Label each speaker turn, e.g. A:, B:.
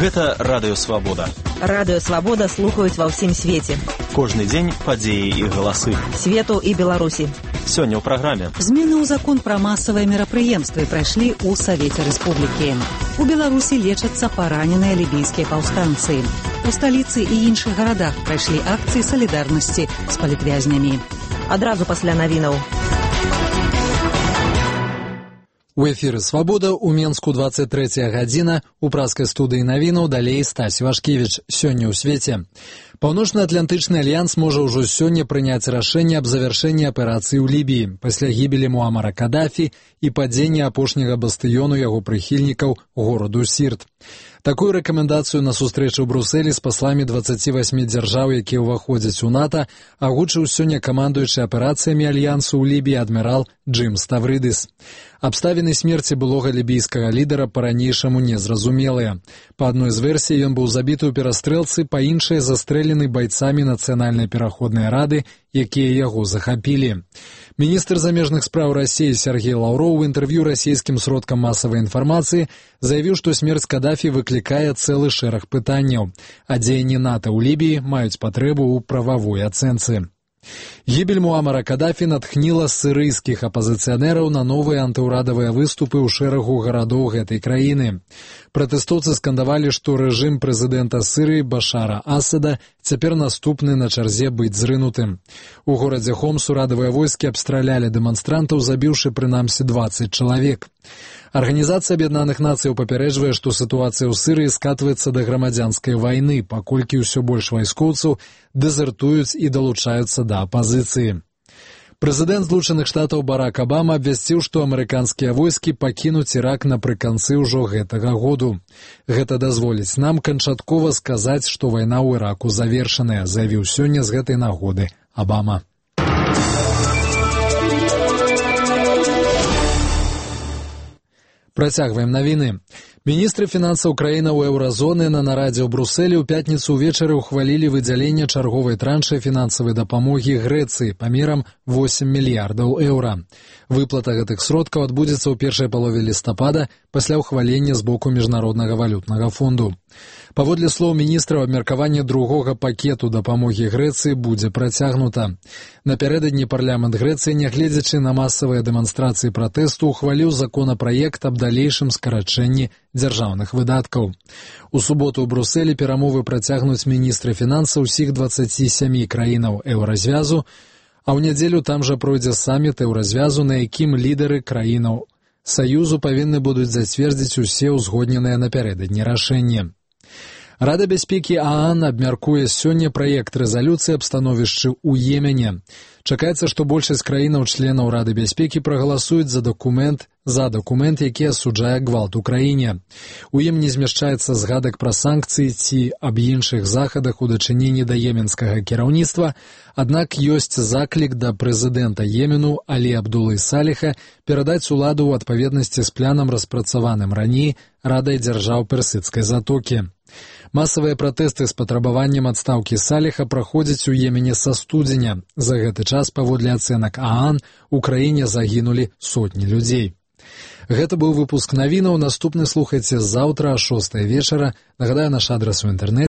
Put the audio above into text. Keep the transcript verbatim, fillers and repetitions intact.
A: Гэта Радыё Свабода.
B: Радыё Свабода слухаюць ва ўсім свеце.
A: Кожны дзень падзеі і галасы.
B: Свету і Беларусі.
A: Сёння ў праграме.
C: Змены ў закон пра масавыя мерапрыемствы прайшлі ў Савеце Рэспублікі. У Беларусі лечацца параненыя лібійскія паўстанцы. У сталіцы і іншых гарадах прайшлі акцыі салідарнасці з палітвязнямі.
B: Адразу пасля навінаў.
D: У эфіры «Свабода» у Менску двадцать третья гадзіна, у праскай студыі навінаў далей Стась Вашкевіч. Сёння ў свеце. Паўночна-атлантычны альянс можа ўжо сёння прыняць рашэнне аб завяршэнні аперацыі ў Лібіі пасля гібелі Муамара Кадафі і падзення апошняга бастыёну яго прыхільнікаў гораду Сірт. Такую рэкамендацыю на сустрэчы ў Брусэлі з пасламі дваццаці васьмі дзяржаў, якія ўваходзяць у НАТО, агучыў сёння камандуючы аперацыямі альянсу ў Лібіі адмірал Джим Ставрыдыс. Абставіны смерці былога лібійскага лідара па-ранейшаму незразумелыя. Па адной з версій ён быў забіты ў перастрэлцы, па іншай застрэлены байцамі Нацыянальнай пераходнай рады, якія яго захапілі. Міністр замежных спраў Расіі Сергей Лаўроў у інтэрв'ю расійскім сродкам масавай інфармацыі заявіў, што смерць Кадафі выклікае цэлы шэраг пытанняў, а дзеянні НАТО ў Лібіі маюць патрэбу ў прававой ацэнцы. Гібель Муамара Кадафі натхніла сірыйскіх апазіцыянераў на новыя антыўрадавыя выступы ў шэрагу гарадоў гэтай краіны. Пратэстоўцы скандавалі, што рэжым прэзідэнта Сірыі Башара Асада цяпер наступны на чарзе быць зрынутым. У горадзе Хомс урадавыя войскі абстралялі дэманстрантаў, забіўшы прынамсі дваццаць чалавек. Арганізацыя Аб'яднаных Нацыяў папярэджвае, што сітуацыя ў Сірыі скатваецца да грамадзянскай вайны, паколькі ўсё больш вайскоўцаў дэзертуюць і далучаюцца да апазіцыі. Прэзідэнт Злучаных Штатаў Барак Абама абвясціў, што амерыканскія войскі пакінуць Ірак напрыканцы ўжо гэтага году. Гэта дазволіць нам канчаткова сказаць, што вайна ў Іраку завершаная, заявіў сёння з гэтай нагоды Абама. Працягваем навіны. Міністры фінансаў краінаў еўразоны на нарадзе ў Брусэлі ў пятніцу ўвечары ўхвалілі выдзяленне чарговай траншы фінансавай дапамогі Грэцыі памерам восем мільярдаў еўра. Выплата гэтых сродкаў адбудзецца ў першай палове лістапада пасля ўхвалення з боку Міжнароднага валютнага фонду. Паводле слоў міністраў, абмеркаванне другога пакету дапамогі Грэцыі будзе працягнута. Напярэдадні парламент Грэцыі, нягледзячы на масавыя дэманстрацыі пратэсту, ухваліў законапраект аб далейшым скарачэнні дзяржаўных выдаткаў. У суботу ў Брусэлі перамовы працягнуць міністры фінансаў усіх дваццаці сямі краінаў еўразвязу, а ў нядзелю там жа пройдзе саміт еўразвязу, на якім лідары краінаў Саюзу павінны будуць зацвердзіць усе ўзгодненыя напярэдадні рашэнні. Рада бяспекі ААН абмяркуе сёння праект рэзалюцыі аб становішчы ў Йемене. Чакаецца, што большасць краінаў-членаў Рады бяспекі прагаласуюць за дакумент, за дакумент, які асуджае гвалт у краіне. У ім не змяшчаецца згадак пра санкцыі ці аб іншых захадах у дачыненні да йеменскага кіраўніцтва, аднак ёсць заклік да прэзідэнта Йемену Алі Абдулы Саліха перадаць уладу ў адпаведнасці з планам, распрацаваным раней Радай дзяржаў Персідскай затокі. Масавыя пратэсты з патрабаваннем адстаўкі Саліха праходзяць у Йемене са студзеня. За гэты час, паводле ацэнак ААН, у краіне загінулі сотні людзей. Гэта быў выпуск навінаў. Наступны слухайце заўтра а шостай вечара. Нагадаю, наш адрас у інтэрнэце